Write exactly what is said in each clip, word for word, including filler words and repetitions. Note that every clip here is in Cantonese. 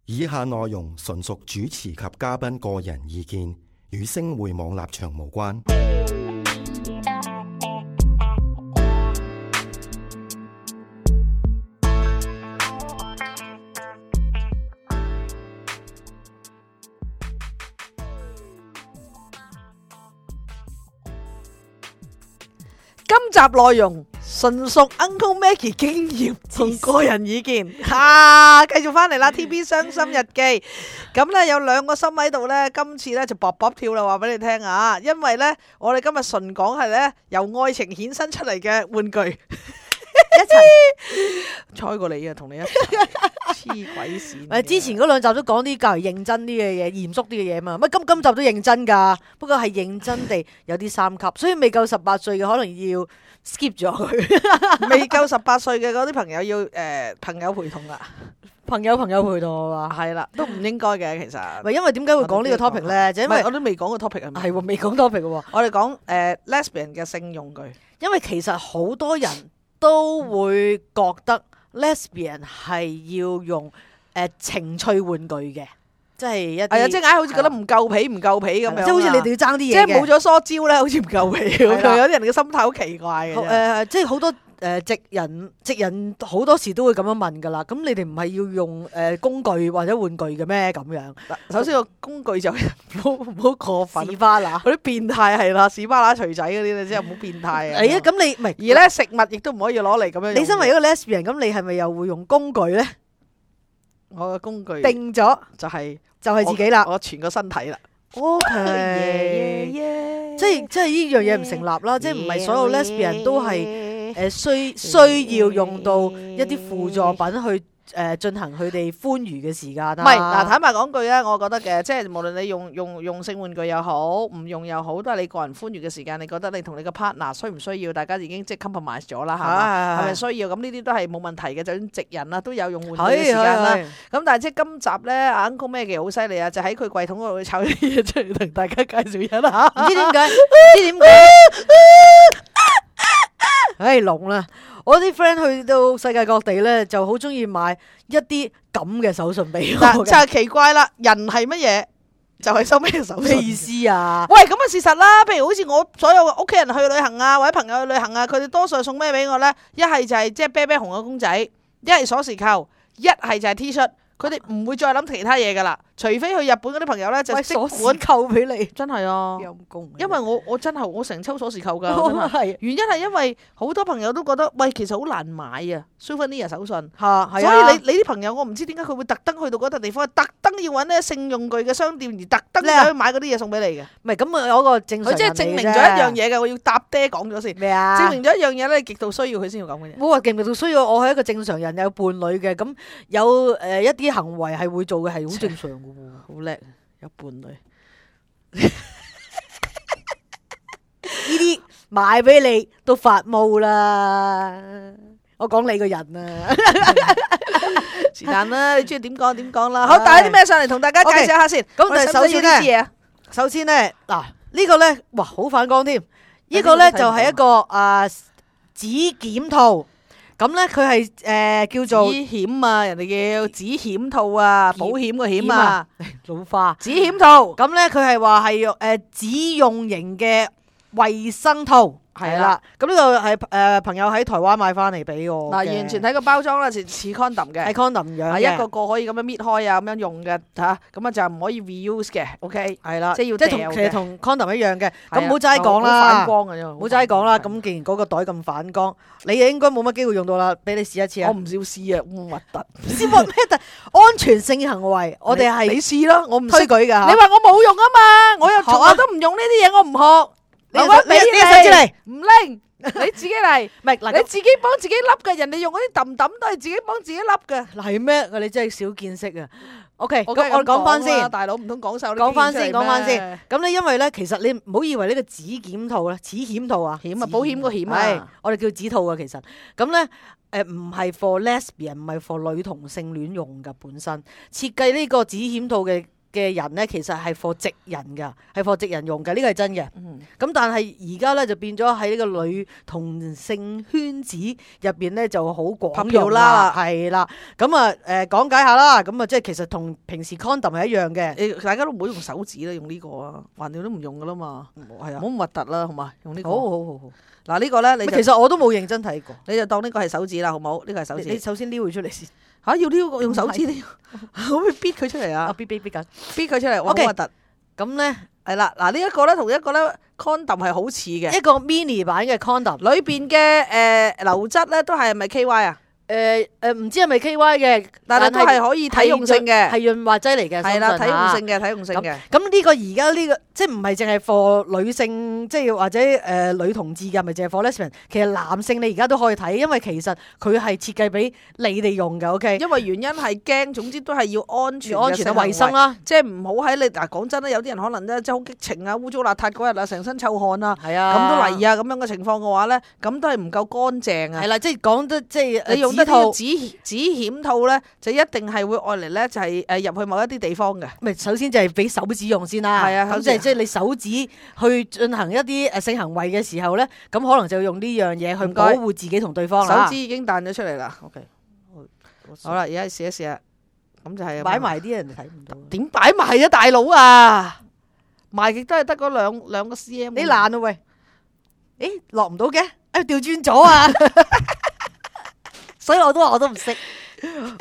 以下內容純屬主持及嘉賓個人意見，與星匯網立場無關。今集內容純屬 Uncle Maggie 經驗同個人意見，吓，繼續翻嚟啦 T B 傷心日記。咁咧有兩個心喺度咧，今次咧就卜卜跳啦，話俾你聽啊！因為咧我哋今日純講係咧由愛情衍生出嚟嘅玩具，一齊猜過你啊，同你一齊黐鬼線。誒，之前嗰兩集都講啲較為認真啲嘅嘢，嚴肅啲嘅嘢嘛。乜今今集都認真噶，不過係認真地有啲三級，所以未夠十八歲嘅可能要 skip 咗佢。未夠十八歲嘅嗰啲朋友要誒、呃、朋友陪同啦，朋友朋友陪同我話係啦，都唔應該嘅其實。唔係因為點解會講呢個 topic 咧？就因為我都未講個 topic 係咪？係喎，未講 topic 嘅喎。我哋講誒 lesbian 嘅性用具，因為其實好多人都會覺得 lesbian 係要用誒、呃、情趣玩具嘅，即係一啲係啊，即係硬係好似覺得唔夠皮唔夠皮咁樣，即係好似你哋要爭啲嘢，即係冇咗梳蕉咧，好似唔夠皮咁樣。有啲人嘅心態好奇怪嘅。誒、呃，即係好多。誒直人直人好多時都會咁樣問㗎啦，咁你哋唔係要用誒工具或者玩具嘅咩？咁樣，首先個工具就唔好唔好過分，士巴拿嗰啲變態係啦，士巴拿錘仔嗰啲咧，真係唔好變態啊！係啊，咁你唔係而咧食物亦都唔可以攞嚟咁樣。你身為一個 lesbian，咁你係咪又會用工具咧？我嘅工具定咗就係就係自己啦，我全個身體啦。OK，即係即係呢樣嘢唔成立啦，即係唔係所有 lesbian 都係。誒需需要用到一啲輔助品去誒進行佢哋歡愉嘅時間啦。唔係嗱，坦白講句咧，我覺得嘅，即係無論你用用用性玩具又好，唔用又好，都係你個人歡愉嘅時間。你覺得你同你個 partner 需唔需要？大家已經即係 compromise 咗啦，係嘛？係咪需要？咁呢啲都係冇問題嘅。就算直人啦，都有用玩具嘅時間啦。咁但係即係今集咧，阿 Uncle Maggie好犀利啊！就喺佢櫃桶嗰度摷啲嘢出嚟同大家介紹一下。唔知點解？唔知點解？唉，聾啦！我啲 friend 去到世界各地咧，就好中意買一啲咁嘅手信俾我。就係奇怪啦，人係乜嘢？就係收咩手信？咩意思啊？喂，咁啊事實啦。譬如好似我所有屋企人去旅行啊，或者朋友去旅行啊，佢哋多數係送咩俾我咧？一係就係即係啤啤熊嘅公仔，一係鎖匙扣，一係就係 T 恤。佢哋唔會再諗其他嘢噶啦，除非去日本嗰啲朋友咧就即管扣俾你，真係啊，陰公。因為我我真係我成抽鎖匙扣噶，係原因係因為好多朋友都覺得喂，其實好難買啊 souvenir 手信嚇，所以你你啲朋友我唔知點解佢會特登去到嗰笪地方，特登要揾呢性用具嘅商店而特登走去買嗰啲嘢送俾你嘅。唔係咁啊，有個正常人嚟嘅啫。佢即係證明咗一樣嘢嘅，我要搭爹講咗先。咩啊？證明咗一樣嘢咧，極度需要佢先要講嘅嘢。冇話極度需要，我係一個正常人，有伴侶嘅，咁有誒一啲行為係會做嘅，係好正常嘅喎。好叻，有伴侶。呢啲買俾你都發毛啦！我講你個人啊，是但啦，你中意點講點講啦。好，帶啲咩上嚟同大家介紹一下先。咁但係首先咧，首先咧嗱呢個咧，哇好反光添。呢個咧就係一個啊指檢套。咁咧佢係誒叫做指險啊，人哋叫指險套啊，保險個險啊，老花指險套。咁咧佢係話係用誒指用型嘅衛生套。係啦，咁呢個係誒朋友喺台灣買翻嚟俾我。嗱，完全睇個包裝啦，似似 condom 嘅，係 condom 樣嘅，一個個可以咁樣搣開啊，咁樣用嘅嚇，咁啊就唔可以 reuse 嘅 ，OK，係啦，即係要即係同其實同 condom 一樣嘅，咁唔好齋講啦，反光嘅啫，唔好齋講啦。咁既然嗰個袋咁反光，你應該冇乜機會用到啦，俾你試一次啊！我唔少試啊，咁核突，試乜咩？安全性行為，我哋係你試咯，我唔推舉㗎。你話我冇用啊嘛，我又從來都唔用呢啲嘢，我唔學。你你你手指嚟，唔拎。你自己嚟，唔係嗱，你自己幫自己笠嘅，人哋用嗰啲揼揼都係自己幫自己笠嘅。係咩？你真係少見識啊 ！OK，咁我講翻先，大佬唔通講晒啲講翻先，講翻先。咁咧，因為咧，其實你唔好以為呢個指檢套咧，指險套啊，險啊，保險個險啊，我哋叫指套啊。其實咁咧，誒唔係 for lesbian，唔係 for 女同性戀用噶。本身設計呢個指險套嘅嘅人咧，其實係 for 直人㗎，係 for 直人用嘅，呢個係真嘅。咁、嗯但係而家咧就變咗喺呢個女同性圈子入邊咧就好廣用啦，係啦。咁啊誒講解下啦，咁啊即係其實同平時 condom 係一樣嘅。誒大家都唔好用手指啦，用呢個啊，橫掂都唔用噶啦嘛，係啊唔好，咁核突啦，好嘛？用呢個。好好好好。嗱呢個咧，你就其實我都冇認真睇過。你就當呢個係手指啦，好冇？呢個係手指。你你首先撩佢出嚟先。嚇要呢個用手指撩，可唔可以逼佢出嚟啊啊？逼逼逼緊。逼佢出嚟，哇好 OK 核突。咁咧係啦，嗱呢一個咧同一個咧 condom 係好似嘅，一個 mini 版嘅 condom。裏邊嘅誒流質咧都係咪 K Y 啊？誒誒唔知係咪 K Y 嘅，但係都係可以體用性嘅，係潤滑劑嚟嘅。係啦，體相信嚇用性嘅，體用性嘅。咁呢個而家呢個即係唔係淨係 for 女性，即係或者誒、呃、女同志嘅，咪淨係 for lesbian。其實男性你而家都可以睇，因為其實佢係設計俾你哋用嘅。OK，因為原因係驚，總之都係要安全、安全啊、衞生啦。即係唔好喺你嗱講真啦，有啲人可能咧即係好激情啊、污糟邋遢嗰日啊，成身臭汗啊，係啊，咁都嚟啊咁樣嘅情況嘅話咧，咁都係唔夠乾淨啊。係啦，即係講得即係你用得指套呢個指指險套咧，就一定係會愛嚟咧，就係誒入去某一啲地方嘅。咪首先就係俾手指用先啦。係啊咁即係即係你手指去進行一啲誒性行為嘅時候咧，咁可能就要用呢樣嘢去保護自己同對方啦。手指已經彈咗出嚟啦。OK，好啦，而家試一試啊。咁就係擺埋啲人睇唔到。點擺埋啊，大佬啊！埋極都係得嗰兩兩個 cm。你爛啊喂！誒落唔到嘅，誒調轉咗啊！所以我都話我都唔識，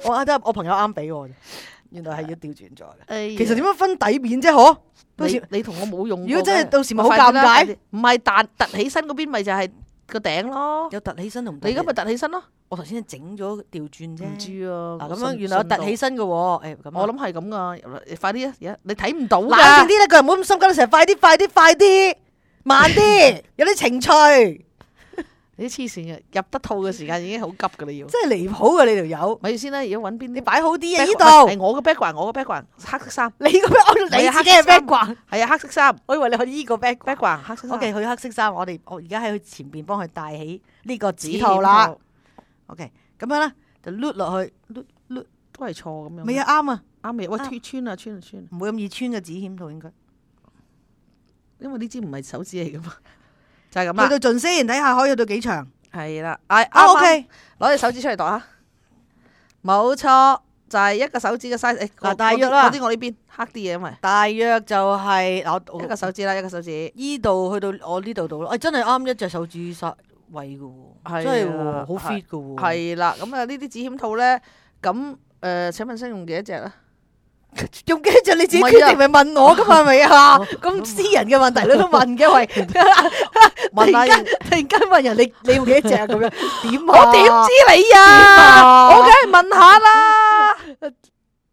我啱得我朋友啱俾我，原來係要調轉咗嘅。哎、其實點樣分底面啫？嗬？你你同我冇用過。如果真係到時咪好尷尬，唔係彈突起身嗰邊咪就係個頂咯。有突起身同你而家咪突起身咯。我頭先整咗調轉啫。唔知啊。嗱咁樣原來有突起身嘅喎。誒咁。我諗係咁噶，快啲啊！而家你睇唔到㗎。冷靜啲啦，個人唔好咁心急啦，成日快啲快啲快啲，慢啲，有啲情趣。你啲黐線嘅，入得套嘅時間已經好急噶，你要真係離譜嘅你條友。咪住先啦，而家揾邊啲？你擺好啲啊！呢度係我嘅 background，我嘅 background 黑色衫。你個 background，你自己嘅 background。係啊，黑色衫。我以為你去呢個 background，黑色衫。O K，去黑色衫，我哋我而家喺佢前邊幫佢戴起呢個指套啦。O K，咁樣咧就碌落去，碌碌都係錯咁樣。未啊，啱啊，啱嘅。喂，穿穿啊，穿啊，穿。唔會咁易穿嘅指險套應該，因為呢支唔係手指嚟噶嘛，就係咁啦。去到盡先，睇下可以去到幾長。係啦，啊 O K，攞隻手指出嚟度下，冇錯，就係一個手指嘅 size。誒，嗱，大約啦，嗰啲我呢邊黑啲嘢，因為大約就係嗱，一個手指啦，一個手指。依度去到我呢度度咯，誒，真係啱一隻手指曬位嘅喎，真係喎，好 fit 嘅喎。係啦，咁啊呢啲指險套咧，咁誒，請問先用幾多隻咧？用幾隻你自己決定，咪問我噶嘛？係咪啊？咁私人嘅問題你都問嘅喂，突然間突然間問人你你用幾多隻咁樣？點我點知你啊？我梗係問下啦。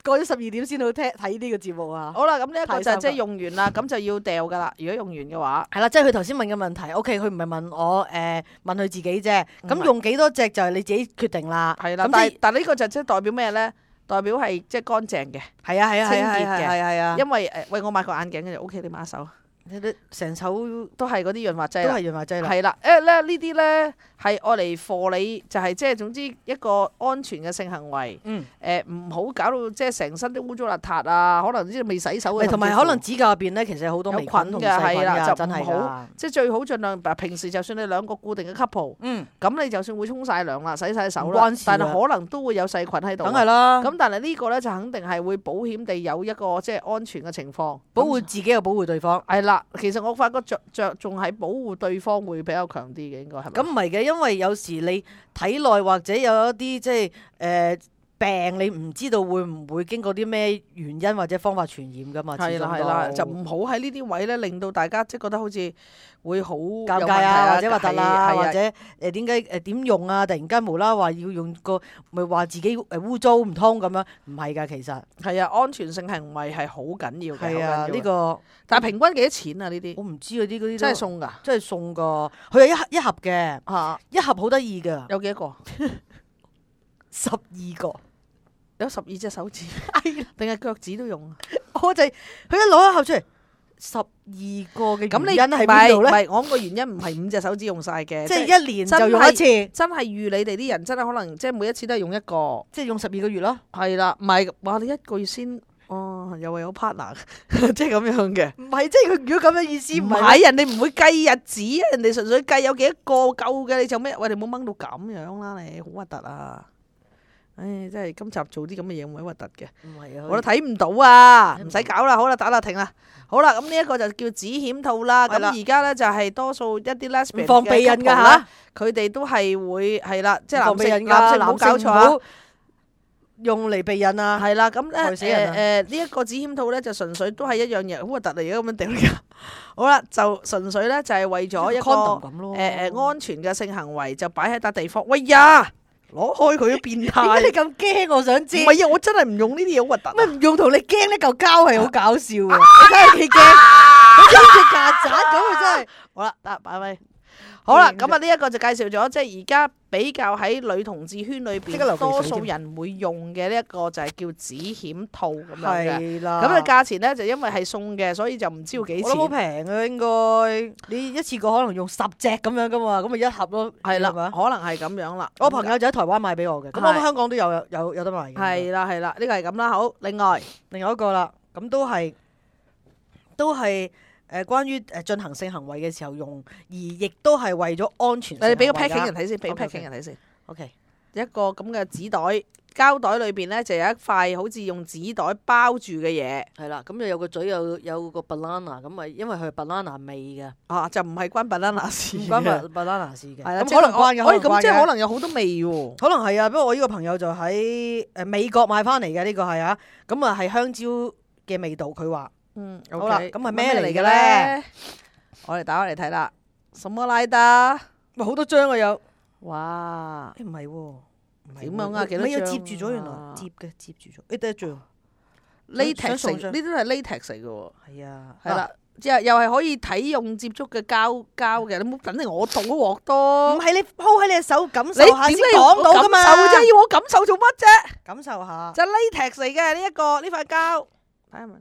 過咗十二點先好聽睇呢個節目啊！好啦，咁呢一個就即係用完啦，咁就要掉噶啦。如果用完嘅話，係啦，即係佢頭先問嘅問題。O K，佢唔係問我誒問佢自己啫。咁用幾多隻就係你自己決定啦。係啦，但係但係呢個就即係代表咩咧？代表係即係乾淨嘅，係啊係啊，清潔嘅，係係啊。因為誒，喂，我買個眼鏡嘅就 O K，你抹手，你都成手都係嗰啲潤滑劑，都係潤滑劑啦。係啦，誒咧呢啲咧係愛嚟貨你，就係即係總之一個安全嘅性行為。嗯。誒唔好搞到即係成身都污糟邋遢啊！可能啲未洗手嘅，同埋可能指甲入邊咧，其實有好多微菌同細菌㗎，真係㗎。即係最好盡量，平時就算你兩個固定嘅 couple，嗯，咁你就算會沖晒涼啦、洗晒手啦，唔關事但係可能都會有細菌喺度。梗係啦。咁但係呢個咧就肯定係會保險地有一個即係安全嘅情況，保護自己又保護對方。係啦，其實我發覺着着仲係保護對方會比較強啲嘅，應該係咪？咁唔係嘅，因為有時你體內或者有一啲即係誒。呃病你唔知道會唔會經過啲咩原因或者方法傳染噶嘛？係啦係啦，就唔好喺呢啲位咧，令到大家即係覺得好似會好尷尬啊，或者核突啦，或者誒點解誒點用啊？突然間無啦啦話要用個，咪話自己誒污糟唔通咁樣？唔係㗎，其實係啊，安全性行為係好緊要嘅。係啊，呢個但係平均幾多錢啊？呢啲我唔知嗰啲嗰啲真係送㗎，真係送㗎。佢係一盒一盒嘅，嚇一盒好得意㗎。有幾多個？十二個。有十二隻手指，定係腳趾都用啊？我就係佢一攞一盒出嚟，十二個嘅原因係邊度咧？唔係我個原因唔係五隻手指用晒嘅，即係一年就用一次。真係預你哋啲人真係可能即係每一次都係用一個，即係用十二個月咯。係啦，唔係話你一個月先哦，哦又係有 partner，即係咁樣嘅。唔係，即係佢如果咁嘅意思，唔唔係係人哋唔會計日子啊，人哋純粹計有幾多個夠嘅，你就咩？喂，你唔好掹到咁樣啦，你好核突啊！唉，真係今集做啲咁嘅嘢，唔係核突嘅，唔係啊，我都睇唔到啊，唔使搞啦，好啦，打啦，停啦，好啦，咁呢一個就叫紙險套啦。咁係啦而家咧就係多數一啲 lesbian 唔放避孕㗎嘅 couple 嚇咧，佢哋都係會係啦，即係防避孕㗎，男性男性唔好搞錯啊。唔好用嚟避孕啊！係啦，咁咧害死人啊誒誒呢一個紙險套咧就純粹都係一樣嘢，好核突嚟嘅咁樣掉㗎。好啦，就純粹咧就係為咗一個 condom 咁咯。誒誒安全嘅性行為就擺喺笪地方。喂呀，攞開佢都變點解態。你咁驚？我想知。唔係啊，我真係唔用呢啲嘢，好核突啊。咩唔用同你驚呢嚿膠係好搞笑嘅，你睇下幾驚，好似隻曱甴咁啊！真係。好啦，得擺咪。好啦，嗯咁啊呢一個就介紹咗，即係而家比較喺女同志圈裏邊即刻流鼻水多數人會用嘅呢一個就係叫紙險套咁樣嘅。係啦。咁嘅價錢咧就因為係送嘅，所以就唔知要幾我諗好錢。平啊，應該你一次過可能用十隻咁樣噶嘛，咁咪一盒咯。係啦，係嘛可能係咁樣啦。我朋友就喺台灣買俾我嘅，咁係我香港都有有有有得賣嘅。係啦係啦，呢個係咁啦。好，另外另外一個啦，咁都係都係誒關於誒進行性行為嘅時候用，而亦都係為咗安全性行為㗎。你俾個 packing 人睇先，俾個 OK，OK packing 人睇先。 OK，一個咁嘅紙袋，膠袋裏邊咧就有一塊好似用紙袋包住嘅嘢。係啦，咁就有個嘴有有個 banana，咁咪因為佢係 banana 味嘅，啊，就唔係關 banana 事嘅。唔關 ba- banana 事嘅。係啦，咁可能關嘅，可以咁，可能關嘅即係可能有好多味喎。可能係啊，不過我呢個朋友就喺誒美國買翻嚟嘅呢個係啊，咁啊係香蕉嘅味道，佢話嗯，好啦 OK，咁係咩嚟嘅嘅咧？我哋打開嚟睇啦。什麼來的？哇好多張啊有，哇！誒唔係喎，唔係點樣啊幾多你要張接住咗原來啊接嘅接住咗，誒得一張， latex 想送張嚟呢啲都係 latex 嚟嘅喎。係啊，係啦，即係又係可以體用接觸嘅膠膠嘅，你唔好等我倒鑊唔多。係你鋪喺你隻手感受你下先點解要講到噶嘛？感受啫？要我感受做乜啫？感受下，就 latex 嚟嘅呢一個呢塊膠。睇下咪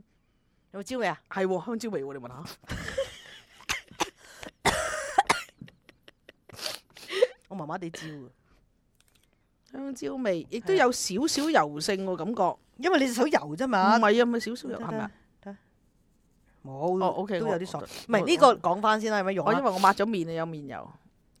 有冇招味啊？係喎，香蕉味喎，你聞下。我麻麻地招啊，香蕉味，亦都有少少油性喎，感覺。因為你隻手油啫唔嘛，係啊，咪少少油係咪啊？冇，哦，OK，我都有啲索。我唔係呢個講翻先啦，有乜用啊我因？為我抹咗面啊，有面油。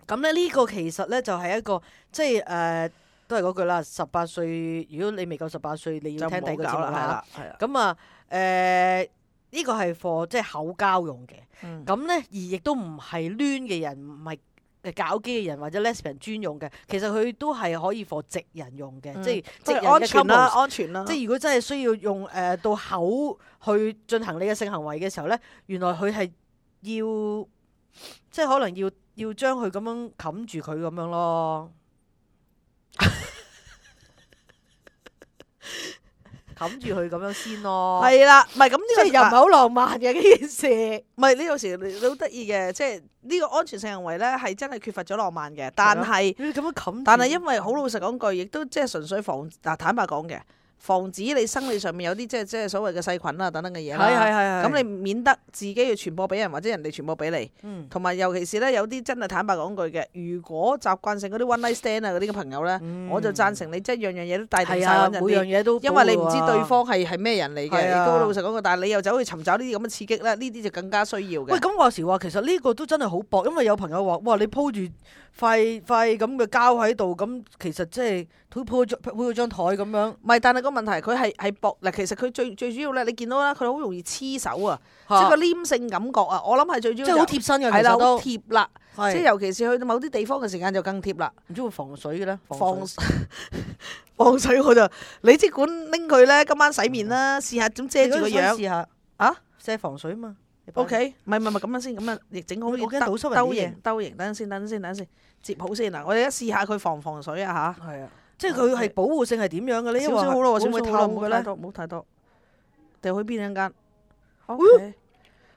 咁咧呢個其實咧就係一個即係誒，都係嗰句啦。十八歲，如果你未夠十八歲，你要聽第二個節目係啦啦，係啦。咁啊誒，呢個係 for 即係口交用嘅。嗯咁咧而亦都唔係攣嘅人，唔係誒搞基嘅人或者 lesbian 專用嘅。其實佢都係可以 for 直人用嘅，嗯即係直即係人嘅安全啦， couples。安全啦。即係如果真係需要用誒、呃、到口去進行你嘅性行為嘅時候咧，原來佢係要即係可能要要將佢咁樣冚住佢咁樣咯，冚住佢咁樣先咯。係啦，唔係咁呢個即係又唔係好浪漫嘅呢件事。唔係你有時你你好得意嘅，即係呢個安全性行為咧係真係缺乏咗浪漫嘅，但係你咁樣冚住，但係因為好老實講句，亦都即係純粹防嗱坦白講嘅，防止你生理上面有啲即係即係所謂嘅細菌啊等等嘅嘢啦。係係係係咁你免得自己要傳播俾人或者人哋傳播俾你。嗯同埋尤其是咧，有啲真係坦白講句嘅，如果習慣性嗰啲 one night stand 啊嗰啲嘅朋友咧，嗯我就贊成你即係樣樣嘢都帶定晒係啊，揾人每樣哋。嘢都因為你唔知保護啊對方係係咩人嚟嘅，係啊亦都老實講句，但係你又走去尋找呢啲咁嘅刺激咧，呢啲就更加需要嘅。喂，咁話時話，其實呢個都真係好薄，因為有朋友話：哇，你鋪住塊塊咁嘅膠喺度，咁其實即係鋪鋪張鋪咗張台咁樣。唔係，但係個問題佢係係薄嗱，其實佢最最主要咧，你見到啦，佢好容易黐手啊，即係個黏性感覺啊，我諗係最主要即係好就貼身嘅，係啦，好其實都貼啦，即係係尤其是去到某啲地方嘅時間就更貼啦。唔知會防水嘅咧，防水防水我就你即管拎佢咧，今晚洗面啦，試下點遮住個你嗰陣樣試下啊遮防水啊嘛。你擺？OK，唔係唔係唔係咁樣先，咁樣亦整好我啲驚倒濕人啲嘢兜型兜型，等陣先，等陣先，等陣先，接好先嗱，我哋而家試下佢防唔防水啊吓。係啊，即係佢係保護性係點樣嘅咧？因為少少好咯，會唔會少少好咯，透嘅咧？唔好太多，唔好太多。掉去邊一間哦？OK，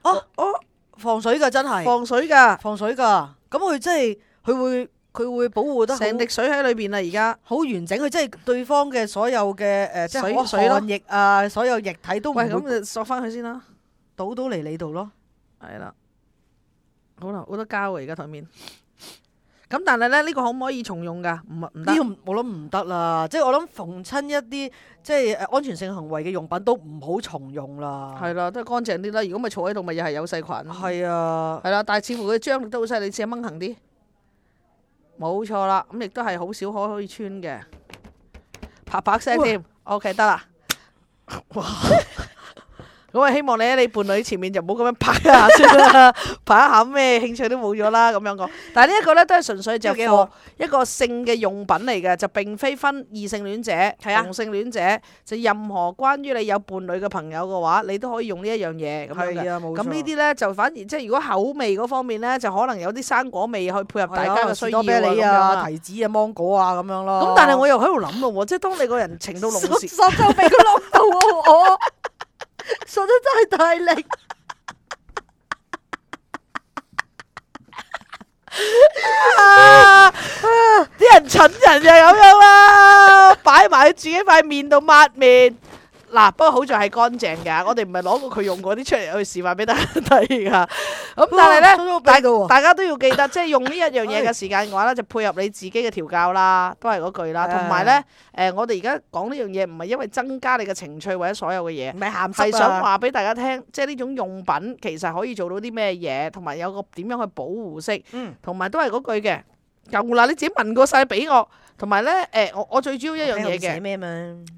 哦哦，防水㗎真係防水㗎，防水㗎。咁佢真係佢會佢會保護得好成滴水喺裏邊啦，而家。好完整。佢即係對方嘅所有嘅誒，即係可水水咯汗液啊，所有液體都唔喂，會咁就索翻佢先啦。倒到嚟你度咯。係啦，好啦，好多膠啊，而家台面。咁但係咧呢個可唔可以重用㗎？唔唔得呢。個我諗唔得啦，即係我諗逢親一啲即係誒安全性行為嘅用品都唔好重用啦。係啦，都係乾淨啲啦。如果咪坐喺度，咪又係有細菌。係啊，係啦，但係似乎佢張力都好犀利，試下掹行啲。冇錯啦，咁亦都係好少可可以穿嘅，啪啪聲添。OK 得啦。哇！咁啊，希望你喺你伴侶前面就唔好咁樣拍一下先啦，拍一下咩興趣都冇咗啦咁樣講。但係呢一個咧都係純粹就幾好係一個性嘅用品嚟嘅，就並非分異性戀者、啊同性戀者，就任何關於你有伴侶嘅朋友嘅話，你都可以用呢一樣嘢咁樣嘅。係啊，冇錯。咁呢啲咧就反而即係如果口味嗰方面咧，就可能有啲生果味去配合大家嘅需要啊士多啤梨咁樣啊、啦。提子啊、芒果啊咁樣咯。咁但係我又喺度諗咯喎，即係當你個人情到濃時，索就俾佢落到我，索得真係大力。啊！啲人蠢人就係咁樣啦，擺埋喺自己塊面度抹面。嗱，不過好在係乾淨㗎，我哋唔係攞過佢用過啲出嚟去示範俾大家睇㗎。咁但係咧，大大家都要記得，即係用呢一樣嘢嘅時間嘅話咧，就配合你自己嘅調教啦，都係嗰句啦。同埋咧，誒，我哋而家講呢樣嘢唔係因為增加你嘅情趣或者所有嘅嘢，唔係鹹係濕啊！想話俾大家聽，即係呢種用品其實可以做到啲咩嘢，同埋有個點樣去保護式，嗯同埋都係嗰句嘅。又嗱，你自己問過晒俾我，同埋咧誒，我我最主要一樣嘢嘅，咩嘛？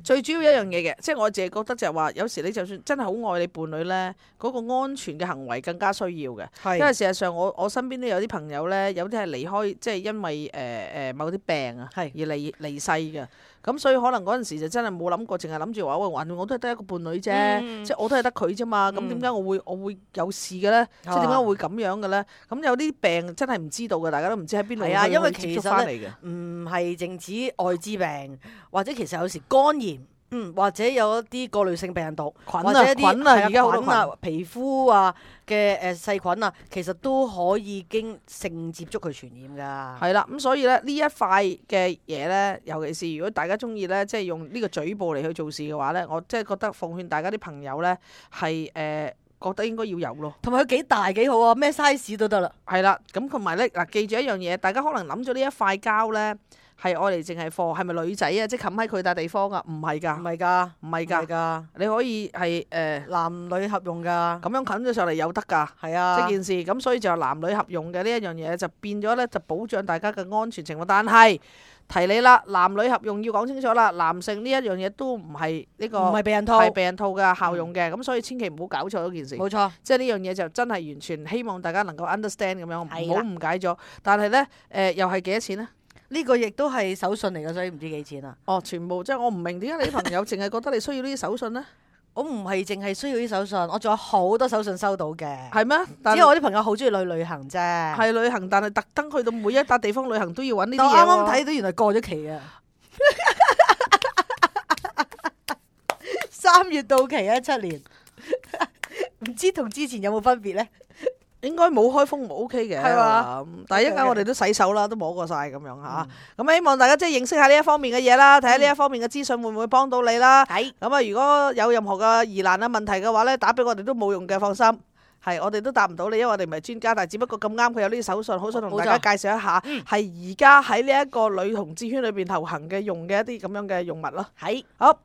最主要一樣嘢嘅，即係我自己覺得就係話，有時你就算真係好愛你伴侶咧，嗰、個安全嘅行為更加需要嘅。因為係事實上我我身邊都有啲朋友咧，有啲係離開，即係因為誒誒、呃、某啲病啊，而係離離世嘅。咁所以可能嗰陣時就真係冇諗過，淨係諗住話喂，橫掂我都係得一個伴侶啫，嗯即係我都係得佢啫嘛。咁點解我會我會有事嘅咧？即係點解會咁樣嘅咧？咁有啲病真係唔知道嘅，大家都唔知喺邊度係啊，去因為去接觸其實翻嚟嘅。唔係淨止愛滋病，或者其實有時肝炎，嗯，或者有一啲過濾性病毒，菌啊或者一啲菌啊係而家好多菌啊、皮膚啊嘅誒細菌啊，其實都可以經性接觸去傳染㗎。係啦，咁所以咧呢一塊嘅嘢咧，尤其是如果大家中意咧，即係用呢個嘴部嚟去做事嘅話咧，我即係覺得奉勸大家啲朋友咧係誒覺得應該要有咯。同埋佢幾大幾好啊，咩 size 都得啦。係啦，咁同埋咧嗱，記住一樣嘢，大家可能諗咗呢一塊膠咧係愛嚟淨係貨，係咪女仔啊？即係冚喺佢笪地方啊？唔係唔㗎，係㗎，唔係唔係㗎，㗎，你可以係誒男女合用㗎。咁樣冚咗上嚟有得㗎。係啊，即件事咁，所以就男女合用嘅呢一樣嘢就變咗咧，就保障大家嘅安全情況。但係提你啦，男女合用要講清楚啦，男性呢一樣嘢都唔係呢個唔係避孕套，係避孕套嘅效用嘅，咁所以千祈唔好搞錯嗰件事。冇錯。即係呢樣嘢就真係完全希望大家能夠 understand 咁樣，唔係啦好誤解咗。但係咧誒，又係幾多錢咧？呢個亦都係手信嚟嘅，所以唔知幾錢啊！哦，全部即係我唔明點解你啲朋友淨係覺得你需要呢啲手信咧？我唔係淨係需要啲手信，我仲有好多手信收到嘅。係咩？但只係我啲朋友好中意去旅行啫。係旅行，但係特登去到每一笪地方旅行都要揾呢啲但我嘢喎。啱啱睇到原來過咗期啊！三月到期啊，七年，唔知同之前有冇分別咧？應該冇開封冇 OK 嘅，係嘛？嗯但係一陣間我哋都洗手啦，都摸過晒咁樣嚇。咁希望大家即係認識下呢一方面嘅嘢啦，睇下呢一方面嘅資訊會唔會幫到你啦。係咁啊，如果有任何嘅疑難啊問題嘅話咧，打俾我哋都冇用嘅，放心。係，我哋都答唔到你，因為我哋唔係專家，但係只不過咁啱佢有呢啲手信，好想同大家介紹一下，係而家喺呢一個女同志圈裏邊流行嘅用嘅一啲咁樣嘅用物咯。係。好。